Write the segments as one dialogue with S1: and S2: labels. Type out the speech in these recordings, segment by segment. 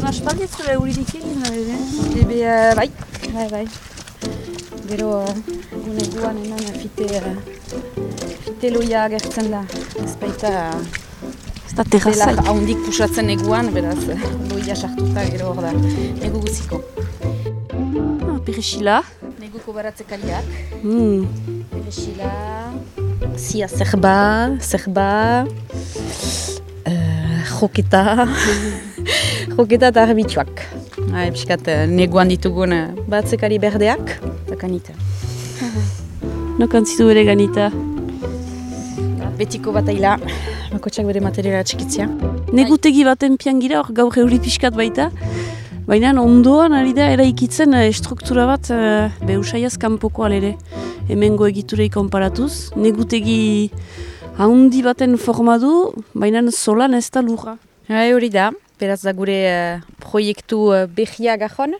S1: aspaldi zure euririk egin, ere?
S2: Ebe, bai. Gero, guan enan fite loia agertzen da. Ez baita...
S1: Ez da terrazai.
S2: Dela haundik pusatzen eguan, beraz, loia sartuta gero hor da. Negu guziko.
S1: Perexila.
S2: Neguko baratzekaliak. Perexila... Zia zerba... Joketa... Joketa eta arbitxuak. Piskat neguan ditugun baratzekari berdeak, eta kanita.
S1: Nokan zitu bere ganita?
S2: Betiko bat aila, bakotxak bere materiala txikitzia.
S1: Negutegi baten piangira, hor gaur euri pixkat baita. Baina ondoan ari da eraikitzen struktura bat beusaiaz kanpoko alere. Hemengo egiturei konparatuz. Negutegi haundi baten forma du, baina solan ez da lurra.
S2: Hori da, beraz da gure proiektu behia gajon.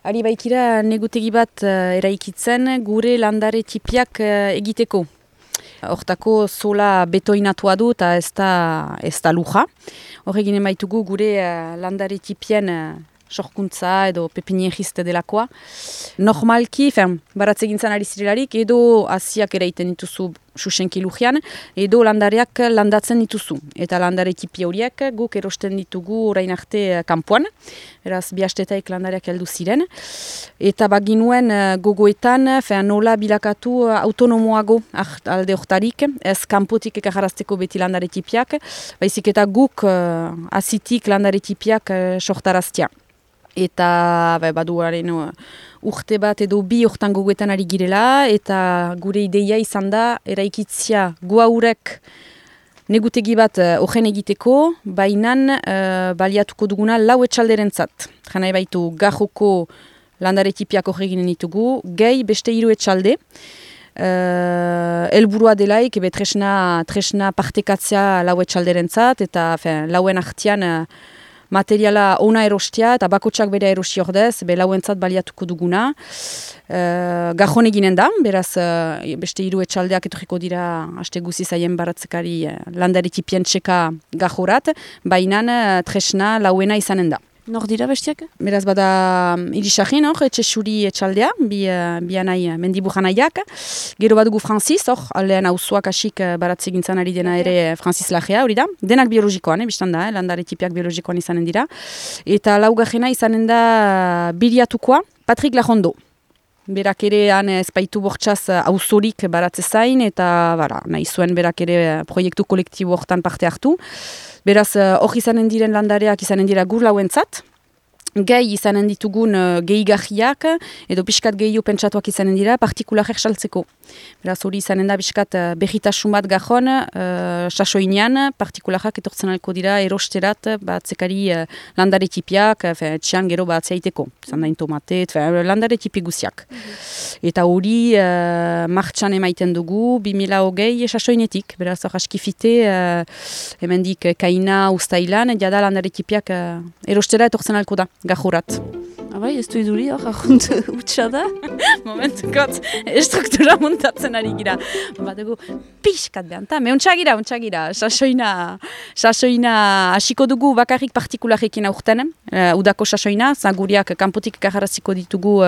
S2: Ari baikira negutegi bat eraikitzen gure landare tipiak egiteko. Hortako sola betoinatua du eta ez da lurra. Horregin emaitugu gure landare tipien sorkuntza edo pepinieriste delakoa. Normalki, baratze gintzen ari zirelarik, edo hasiak eraiten dituzu susenki lujian, edo landareak landatzen dituzu. Eta landare tipi horiek guk erosten ditugu orain arte kanpoan, beraz bi astetaik landareak heldu ziren. Eta baginuen gogoetan, nola bilakatu autonomoago alde hortarik, ez kanpotik ekajarazteko beti landare tipiak, baizik eta guk hazitik landare tipiak sortaraztia. Eta baduaren urte bat edo bi hortan gogoetan ari girela, eta gure ideia izan da eraikitzia guaurek negutegi bat horren egiteko, bainan baliatuko duguna lau etxalderentzat. Jana baitu gajoko landare tipiak horreginen ditugu, gehi beste 3 etxalde. Helburua delaik, tresna partekatzea lau etxalderentzat, eta lauen artean materiala ona erostia eta bakotsak bere erosi ordez, lauentzat baliatuko duguna. Gajon eginen da, beraz beste 3 etxaldeak etorriko dira aste guzi zaien baratzekari landare tipien txeka gajorat, bainan tresna lauena izanen da.
S1: Nor dira bestiak?
S2: Beraz bada Irisagin hor, etxe suri etxaldea, bianai mendibujanaiak. Gero badugu Francis hor, aldean auzoak asik baratze gintzan ari dena ere Francis Lagea, hori da. Denak biologikoan, biztan da, landare tipiak biologikoan izanen dira. Eta laugarrena izanen da Biriatukoa, Patrick Lajondo. Berak ere han ezpaitu bortxaz auzorik baratze zain, eta nahi zuen berak ere proiektu kolektibo hortan parte hartu. Beraz, hor izanen diren landareak izanen dira gur lauentzat. Gehi izanen ditugun gehigarriak, edo pixkat gehiu pentsatuak izanen dira, partikularek saltzeko. Beraz, hori izanen da pixkat berritasun bat gajon, sasoinean, partikularrak etortzen alko dira erosterat, batzekari landare tipiak, txian gero batzeaiteko. Zandain tomate, landare tipi guziak. Eta hori martxan emaiten dugu, 2020 sasoinetik. Beraz, hor askifite, hemendik kaina ustailan, jada landare tipiak erostera etortzen alko da. Gajurat.
S1: Abai, ez du iduri hor, ahunt utxa da?
S2: Momentukot, estruktura muntatzen ari gira. Badugu, pixkat behanta, untxagira, sasoina hasiko dugu bakarrik partikularekin aurten, udako sasoina, guriak kanpotik kajaraziko ditugu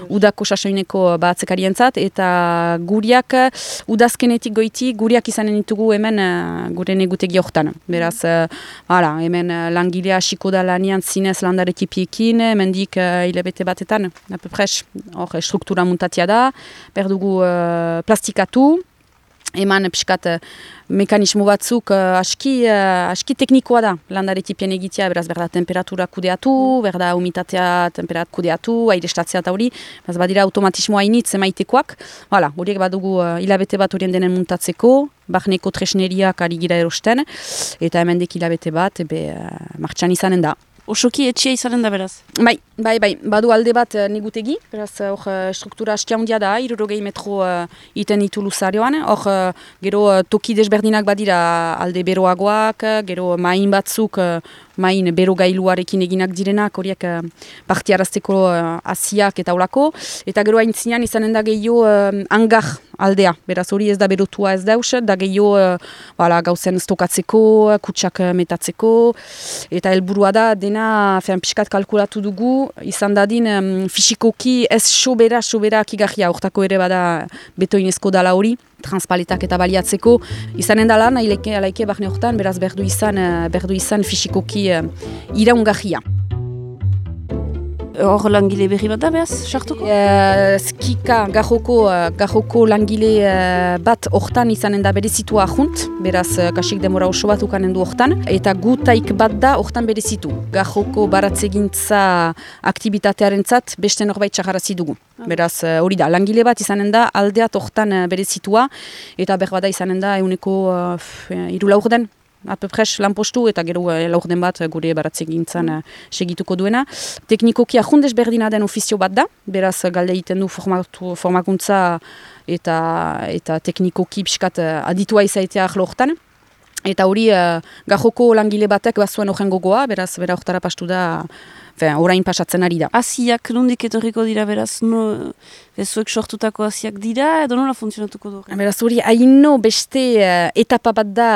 S2: udako sasoineko batzekarientzat, eta guriak udazkenetik goiti, guriak izanen ditugu hemen gure negutegi hortan. Beraz, hemen langilea hasiko da lanian zinez landare tipiekin, mendik hilabete batetan, apepres, hor struktura muntatia da, berdugu plastikatu, eman piskat mekanismo batzuk aski teknikoa da landare tipien egitea, beraz berda temperatura kudeatu, berda humitatea temperat kudeatu, airestatzea eta hori, beraz badira automatismo hainitz emaitekoak, horiek badugu hilabete bat horien denen muntatzeko, barneko tresneriak ari gira erosten, eta hemendik hilabete bat, martxan izanen da.
S1: Osoki etxia izanen da beraz?
S2: Bai, badu alde bat negutegi, beraz struktura astia hundia da, 60 metro iten ditu luzarioan, gero toki desberdinak badira alde beroagoak, gero main batzuk main berogailuarekin eginak direnak, horiek partiarazteko asiak eta olako, eta gero aintzinean izanen da gehiago hangar aldea, beraz hori ez da berotua ez dauz, da gehiago gauzen stokatzeko, kutsak metatzeko, eta helburua da dena pixkat kalkulatu dugu, izan dadin fisikoki ez sobera kigarria, hortako ere bada betoinezko dala hori, transpaletak eta baliatzeko, izanen da lan, alaike barne horretan, beraz berdu izan fisikoki iraungarria.
S1: Hor langile berri bat da, behaz, sartuko?
S2: Skika, gajoko langile bat hortan izanen da berezitua ahunt, beraz kasik demora oso bat ukanen du hortan, eta gutaik bat da hortan berezitu. Gajoko baratzegintza aktibitatearen zat, beste norbait txagarazi dugu. Beraz, hori da, langile bat izanen da aldeat hortan berezitua, eta berbada izanen da euneko 3 laurden. Apepres lanpostu eta gero laurden bat gure baratzegintzan segituko duena. Teknikoki ahundez berdina den ofizio bat da, beraz galde egiten du formakuntza eta teknikoki pixkat aditua izaitea ahlo hortan. Eta hori gajoko langile batek bazuen horren gogoa, beraz bera hortara pastu da, orain pasatzen ari da.
S1: Asiak nondik etorriko dira, beraz, zuek sortutako asiak dira, edo nola funtzionatuko du?
S2: Beraz hori haino beste etapa bat da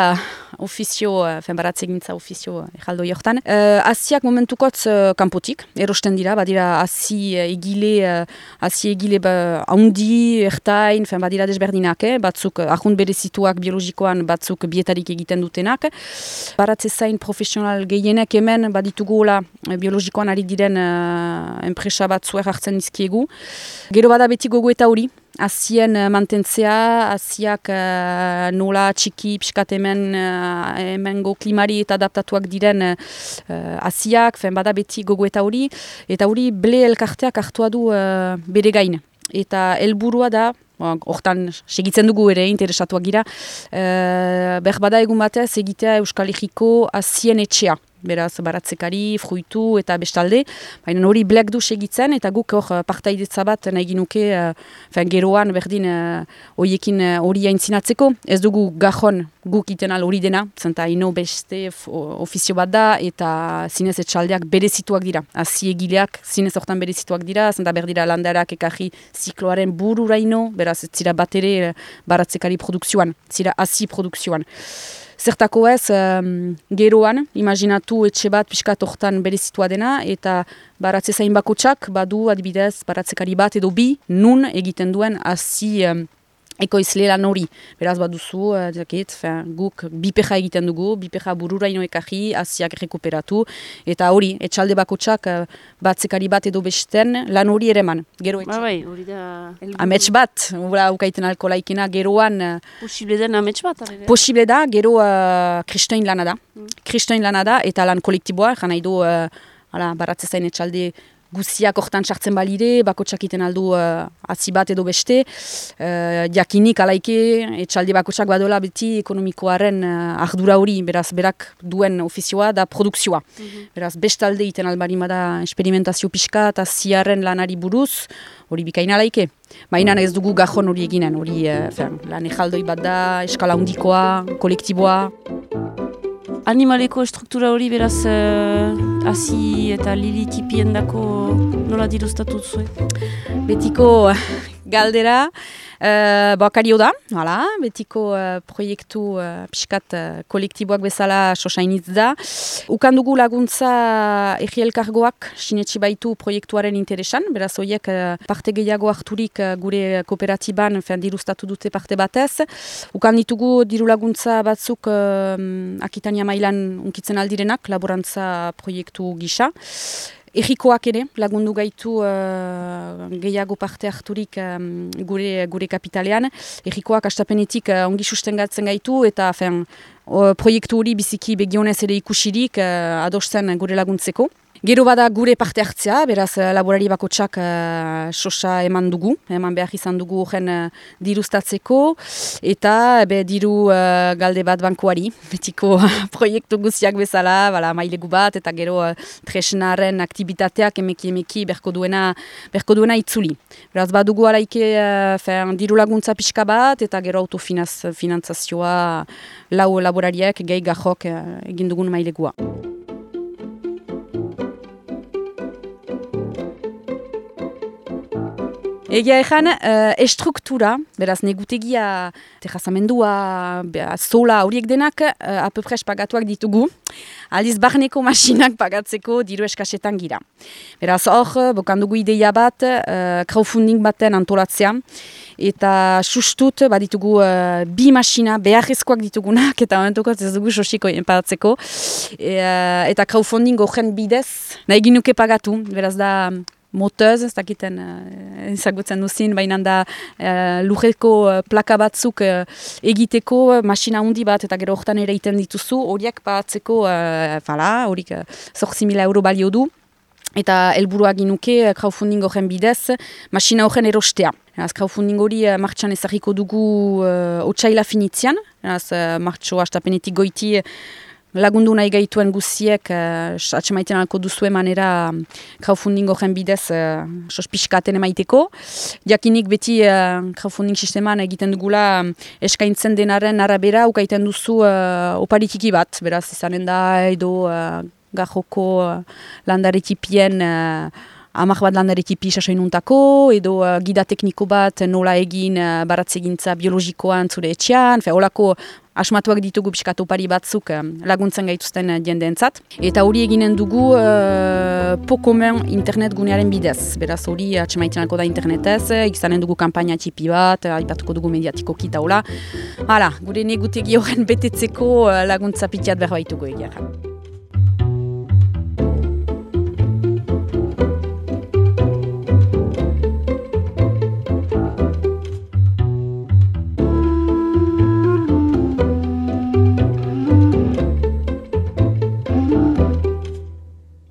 S2: ofizio, baratzegintza ofizio ejaldoi hortan. Asiak momentukotz kanpotik, erosten dira, badira asi egile haundi, ertain, badira desberdinak, batzuk ahunt berezituak biologikoan, batzuk bietarik egiten dutenak. Baratze zain profesional gehienek hemen baditugu biologikoan ari diren enpresa batzuek hartzen izkiegu. Gero bada beti gogoeta hori, asien mantentzea, asiak nola txiki pixkat hemengo klimari eta adaptatuak diren asiak, bada beti gogoeta hori, eta hori ble elkarteak hartua du bere gain. Eta helburua da, hortan segitzen dugu ere, interesatuak gira, berbada egun batez egitea Euskal Herriko asien etxea. Beraz, baratzekari, fruitu eta bestalde. Baina hori blek du segitzen eta guk hor partaidetza bat nahi ginuke geroan berdin horiekin hori aintzinatzeko. Ez dugu gajon guk iten al hori dena, zenta ino beste ofizio bat da eta zinez etxaldeak berezituak dira. Asi egileak zinez hortan berezituak dira, zenta berdira landarak ekarri zikloaren bururaino, beraz, zira bat ere baratzekari produkzioan, zira asi produkzioan. Zertako ez, geroan, imaginatu etxe bat pixkat hortan berezitua dena, eta baratze zain bakotsak, badu adibidez baratzekari bat edo bi, nun egiten duen hasi ekoizle lan hori. Beraz baduzu, guk bipeja egiten dugu, bipeja bururaino ekarri, hasiak rekuperatu, eta hori, etxalde bakotsak batzekari bat edo besten lan hori ereman. Gero etxe.
S1: Bai, hori da...
S2: Amets bat, ukaiten alko laikena, geroan...
S1: Posible den amets bat?
S2: Posible da, gero kristoin lana da. Kristoin lana da, eta lan kolektiboa, jana idu baratze zain etxalde guziak hortan sartzen balire, bakotsak iten aldu hasi bat edo beste, jakinik alaike etxalde bakotsak badola beti ekonomikoaren ardura hori, beraz berak duen ofizioa da produkzioa. Beraz bestalde iten albarima da experimentazio pixka eta ziarren lanari buruz, hori bikaina alaike. Baina ez dugu gajon hori eginen, hori lan ejaldoi bat da, eskala handikoa, kolektiboa.
S1: Animaleko struktura hori beraz hasi eta lili tipien dako nola dirustatu zuen?
S2: Betiko galdera, bakario da, betiko proiektu pixkat kolektiboak bezala sosainitz da. Ukan dugu laguntza Egi Elkargoak sinetsi baitu proiektuaren interesan, beraz horiek parte gehiago harturik gure kooperatiban dirustatu dute parte batez. Ukan ditugu diru laguntza batzuk Akitania mailan unkitzen aldirenak, laborantza proiektu gisa. Egikoak ere, lagundu gaitu gehiago parte harturik gure kapitalean. Egikoak astapenetik ongi sustengatzen gaitu eta proiektu hori biziki begionez ere ikusirik adosten gure laguntzeko. Gero bada gure parte hartzea, beraz laborari bakotsak sosa eman dugu, eman behar izan dugu horren dirustatzeko, eta diru galde bat bankuari, betiko proiektu guztiak bezala, mailegu bat, eta gero tresnaren aktibitateak emeki berko duena itzuli. Beraz badugu alaike diru laguntza pixka bat, eta gero autofinantzazioa lau laborariak gehi gajok egin dugun mailegua. Egia ezan, estruktura, beraz negutegia, terrazamendua, zola horiek denak, apepres pagatuak ditugu. Aldiz barneko masinak pagatzeko diru eskasetan gira. Beraz hor, bokandugu ideia bat, crowdfunding baten antolatzea. Eta sustut, ditugu 2 masina beharrezkoak ditugunak, eta momentuko ez dugu sosiko pagatzeko. Eta crowdfunding horren bidez, nahi ginuke pagatu, beraz da moteuz, ez dakiten ezagutzen duzin, baina da lujeko plaka batzuk egiteko masina handi bat, eta gero horretan ere iten dituzu, horiek pagatzeko, horik 8.000 euro balio du. Eta helburua ginuke crowdfunding horren bidez, masina horren erostea. Crowdfunding hori martxan ezagiko dugu otsaila finitzian, martxo hastapenetik goiti lagundu nahi gaituen guziek atxemaiten alko duzue manera crowdfunding horren bidez sospiskaten emaiteko. Jakinik beti crowdfunding sisteman egiten dugula eskaintzen denaren arabera ukaiten duzu oparitiki bat, beraz izanen da edo gajoko landaretipien 10 bat landaretipi sasoinuntako, edo gida tekniko bat nola egin baratzegintza biologikoan zure etxean, holako asmatuak ditugu pixkat opari batzuk laguntzen gaituzten jendeentzat. Eta hori eginen dugu pokomen internet gunearen bidez. Beraz hori atxemaitenako da internetez, izanen dugu kampaina txipi bat, aipatuko dugu mediatiko kita hola. Hala, gure negutegi horren betetzeko laguntza pitiat berbaitugu egia.